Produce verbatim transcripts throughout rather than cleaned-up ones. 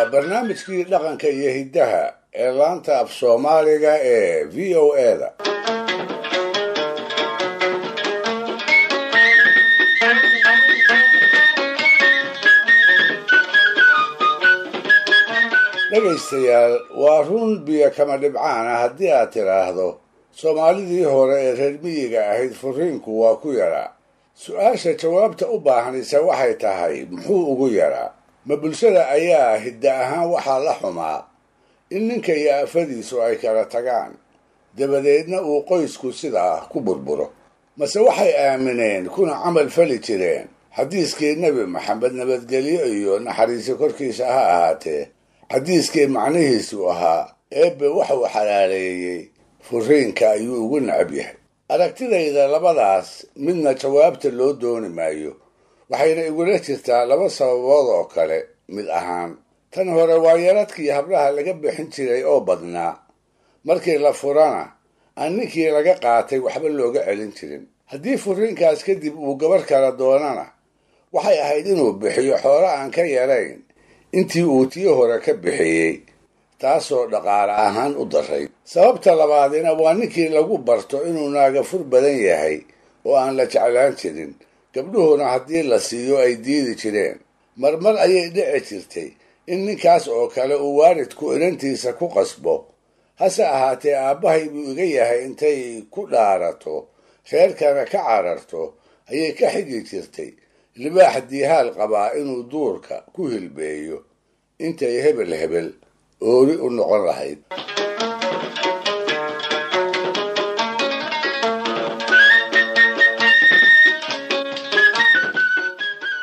Waa barnaamijkii dhaqanka iyo hiddaha ee laanta af Soomaaliga ee V O A-da. Dhegaystayaal, waa run biyo kama dhibcaan ah haddii aad tidhaahdo Soomaalidii hore ee reer miyiga ahayd furiinku waa ku yaraa. Su-aasha jawaabta u baahanaysa waxay tahay, muxuu ugu yaraa? Ma bulshada ayaa hidda ahaan waxaa la xumaa in ninka iyo afadiisu ay kala tagaan, dabadeedna uu qoysku sidaa ku burburo? Mase waxay aamineen kuna camal fali jireen xadiiskii Nebi Maxamed nabadgelyo iyo naxariisi korkiisa ha ahaatee, xadiiskii macnihiisu ahaa Eebbe waxuu xalaaleeyey furiinka ayuu ugu necab yahay. Aragtidayda labadaas midna jawaabta loo dooni maayo, waxayna igula jirtaa laba sababood oo kale mid ahaan. Tan hore waa yaradkii hablaha laga bixin jiray oo badnaa, markii la furana aan ninkii laga qaatay waxba looga celin jirin. Haddii furiinkaas kadib uu gabar kala doonana, waxay ahayd inuu bixiyo xoolo aan ka yarayn intii uu tii hore ka bixiyey, taasoo dhaqaale ahaan u daray. Sababta labaadina waa ninkii lagu barto inuu naagafur badan yahay oo aan la jeclaan jirin, gabdhuhuna haddii la siiyo ay diidi jireen. Marmar ayay dhici jirtay in ninkaas oo kale uu waalidku inantiisa ku qasbo, hase ahaatee aabbahay buu iga yahay intay ku dhaarato reerkana ka cararto ayay ka xigi jirtay libaax diihaal qabaa inuu duurka ku hilbeeyo intay hebel hebel oori u noqon lahayd.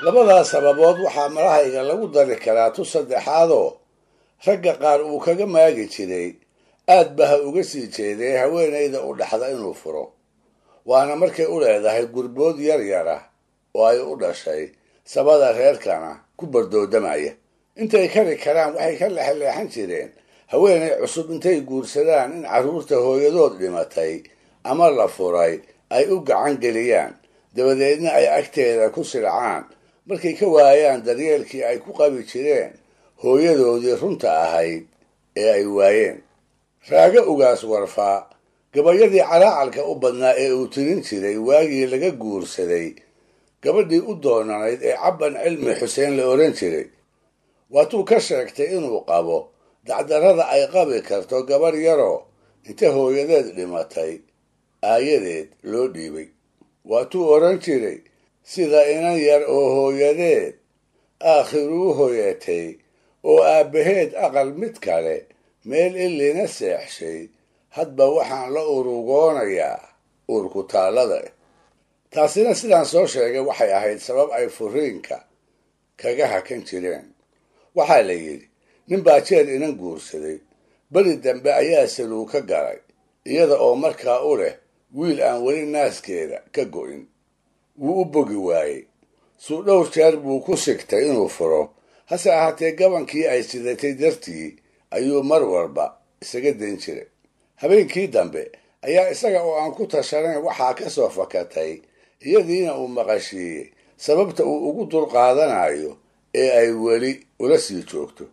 Labadaas sababood waxaa marahayga lagu dari karaa tu saddexaadoo ragga qaar uu kaga maagi jiray aad ba ha uga sii jeeday haweenayda u dhaxda inuu furo, waana markay u leedahay gurbood yar yar ah oo ay u dhashay sabada reerkana ku bardoodamaya. Intay kari karaan waxay ka lexleexan jireen haweenay cusub intay guursadaan in carruurta hooyadood dhimatay ama la furay ay u gacan geliyaan, dabadeedna ay agteeda ku silcaan markay ka waayaan daryeelkii ay ku qabi jireen hooyadoodii runta ahayd ee ay waayeen. Raago ugaas warfaa gabayadii calaacalka u badnaa ee uu tirin jiray waagii laga guursaday gabadhii u doonanayd ee Cabban Cilmi Xuseen la oran jiray, waatuu ka sheegtay inuu qabo dacdarrada ay qabi karto gabarh yaroo inta hooyadeed dhimatay aayadeed loo dhiibay. Waatuu oran jiray sida inan yar oo hooyadeed aakhiruu hoyatay oo aabbaheed aqal mid kale meel ilina seexshay, hadba waxaan la urugoonayaa uurkutaallada. Taasina sidaan soo sheegay waxay ahayd sabab ay furiinka kaga hakan jireen. Waxaa la yidhi nin baa jeer inan guursaday, beri dambe ayaa saluu ka galay iyada oo markaa u leh wiil aan weli naaskeeda ka go'in. Wuu u bogi waayey, suu dhowr jeer buu ku sigtay inuu furo, hase ahaatee gabankii ay sidatay dartii ayuu mar walba isaga dayn jiray. Habeenkii dambe ayaa isaga oo aan ku tashanayn waxaa ka soo fakatay iyadiina uu maqashiiyey sababta uu ugu dulqaadanayo ee ay weli ula sii joogto.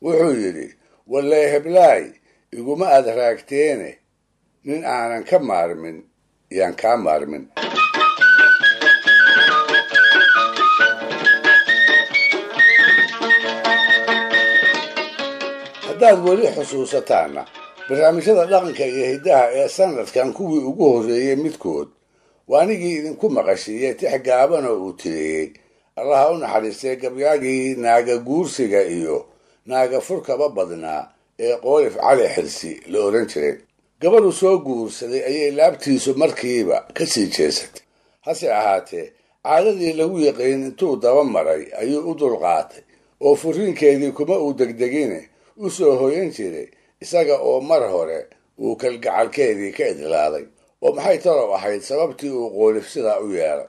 Wuxuu yidhi, wallee heblaay iguma aad raagteene, nin aanan ka maarmin yaan kaa maarmin. Haddaad weli xusuusataanna barnaamijyada dhaqanka iyo hiddaha ee sanadkan kuwii ugu horreeyey midkood waa anigii idinku maqashiiyey tix gaaban oo uu tiriyey Allaha u naxariistay gabyaagii naaga guursiga iyo naaga furkaba badnaa ee Qoolif Cali Xirsi la oran jiray. Gabadhu soo guursaday ayay laabtiisu markiiba ka sii jeesatay, hase ahaatee caadadii lagu yaqiin intuu daba maray ayuu u dulqaatay oo furiinkeedii kuma uu degdegine u soo hoyan jiray isaga oo mar hore uu kalgacalkeedii ka idlaaday. Oo maxay talow ahayd sababtii uu Qoolif sidaa u yeelay?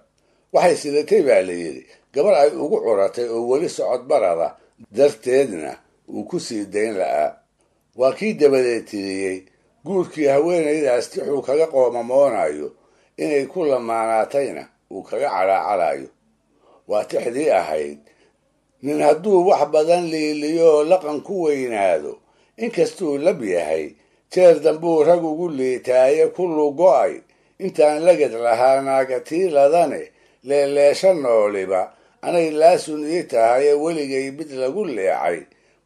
Waxay sidatay baa la yidhi gabar ay ugu curatay oo weli socod barada darteedna uu ku sii dayn la'aa. Waa kii dabadeed tiriyey guurkii haweenaydaas tixuu kaga qoomamoonayo inay ku lamaanaatayna uu kaga calaacalayo. Waa tixdii ahayd Nin hadduu wax badan liiliyo laqan ku weynaado, inkastuu lab yahay, jeer dambuu rag ugu liitaaye ku lugo'ay intaan lagad lahaa naagatiiladane leeleesha nooliba anay laasun ii tahaye weligay mid lagu leecay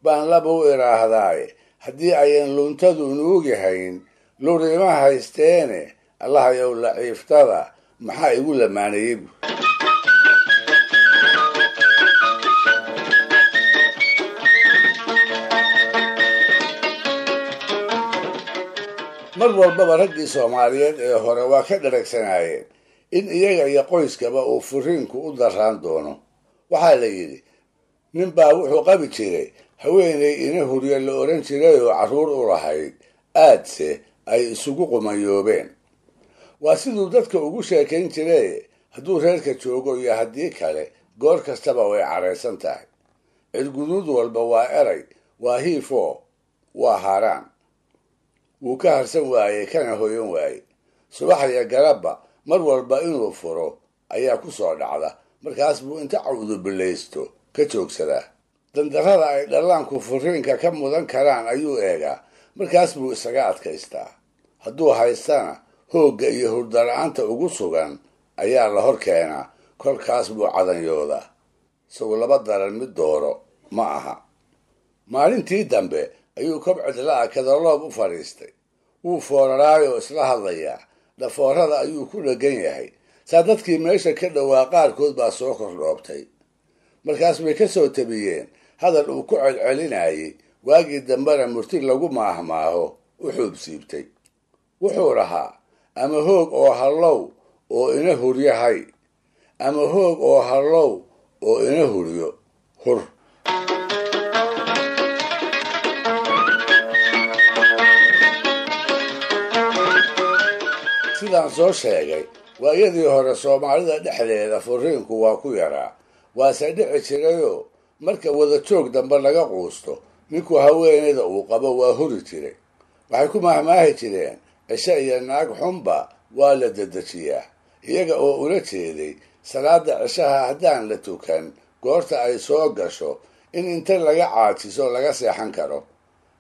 baan laba u idhaahdaaye haddii ayan luntadu nuugi hayn lurima haysteene allahayow laciiftada maxaa igu lamaanayey bu. Mar walbaba raggii Soomaaliyeed ee hore waa ka dharagsanaayeen in iyaga iyo qoyskaba uu furiinku u darraan doono. Waxaa la yidhi nin baa wuxuu qabi jiray haweeney ina huryo la odhan jiray oo carruur u lahayd, aadse ay isugu qumayoobeen. Waa siduu dadka ugu sheekayn jiray hadduu reerka joogo iyo haddii kale goor kastaba way caraysan tahay. Cirguduud walba waa eray, waa hiifoo, waa haaraan. Wuu ka harsan waayey kana hoyan waayey. Subax iyo garabba mar walba inuu furo ayaa ku soo dhacda, markaas buu inta cawdubillaysto ka joogsadaa. Dandarrada ay dhallaanku furiinka ka mudan karaan ayuu eegaa, markaas buu isaga adkaystaa. Hadduu haystana hoogga iyo hurdala-aanta ugu sugan ayaa la hor keenaa, kolkaas buu cadanyoodaa. Isagu laba daran mid dooro ma aha. Maalintii dambe ayuu kobcid la'a kadaloob u fadhiistay. Wuu fooraraayoo isla hadlayaa, dhafoorada ayuu ku dheggan yahay. Saa dadkii meesha ka dhowaa qaarkood baa soo kordhoobtay. Markaas bay ka soo tabiyeen hadal uu ku celcelinayey, waagii dambena murti lagu maahmaaho u xuubsiibtay. Wuxuu lahaa ama hoog oo hallow oo ina huryahay, ama hoog oo hallow oo ina huryo hur. Sidaan soo sheegay, waayadii hore Soomaalida dhexdeeda furiinku waa ku yaraa, waase dhici jirayoo marka wada joog dambe laga quusto ninku haweeneyda uu qabo waa huri jiray. Waxay ku mahmaahi jireen cishe iyo naag xunba waa la dedejiyaa, iyaga oo ula jeeday salaada cishaha haddaan la tukan goorta ay soo gasho in inta laga caajiso laga seexan karo.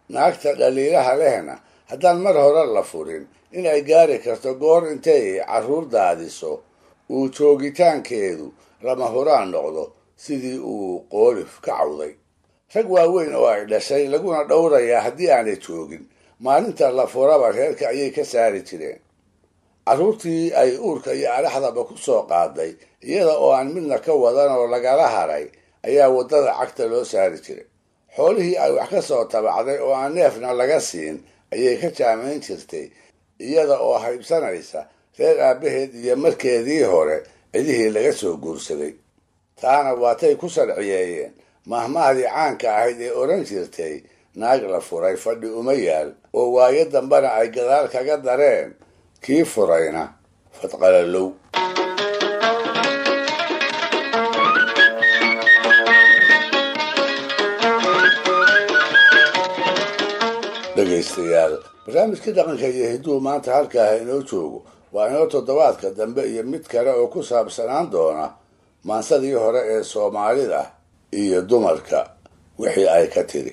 Naagta dhaliilaha lehna haddaan mar hore la furin in ay gaari karto goor intay carruur daadiso uu joogitaankeedu lama huraan noqdo, sidii uu qoolif ka cawday. Rag waaweyn oo ay dhashay laguna dhowrayaa haddii aanay joogin maalinta la furaba reerka ayay ka saari jireen. Carruurtii ay uurka iyo araxdaba ku soo qaaday iyada oo aan midna ka wadan oo lagala haray ayaa waddada cagta loo saari jiray. Xoolihii ay wax ka soo tabacday oo aan neefna laga siin ayay ka jaamayn jirtay, iyada oo haybsanaysa reer aabbaheed iyo markeedii hore cidihii laga soo guursaday. Taana waatay ku sharciyeeyeen mahmahdii caanka ahayd ee odhan jirtay naag la furay fadhi uma yaal, oo waayo dambena ay gadaal kaga dareen kii furayna fadqalalow. Dhegaystayaal, barnaamijka dhaqanka iyo hidduu maanta halkaaha inoo joogo waa inoo toddobaadka dambe iyo mid kale oo ku saabsanaan doona maansadii hore ee Soomaalida iyo dumarka wixii ay ka tiri.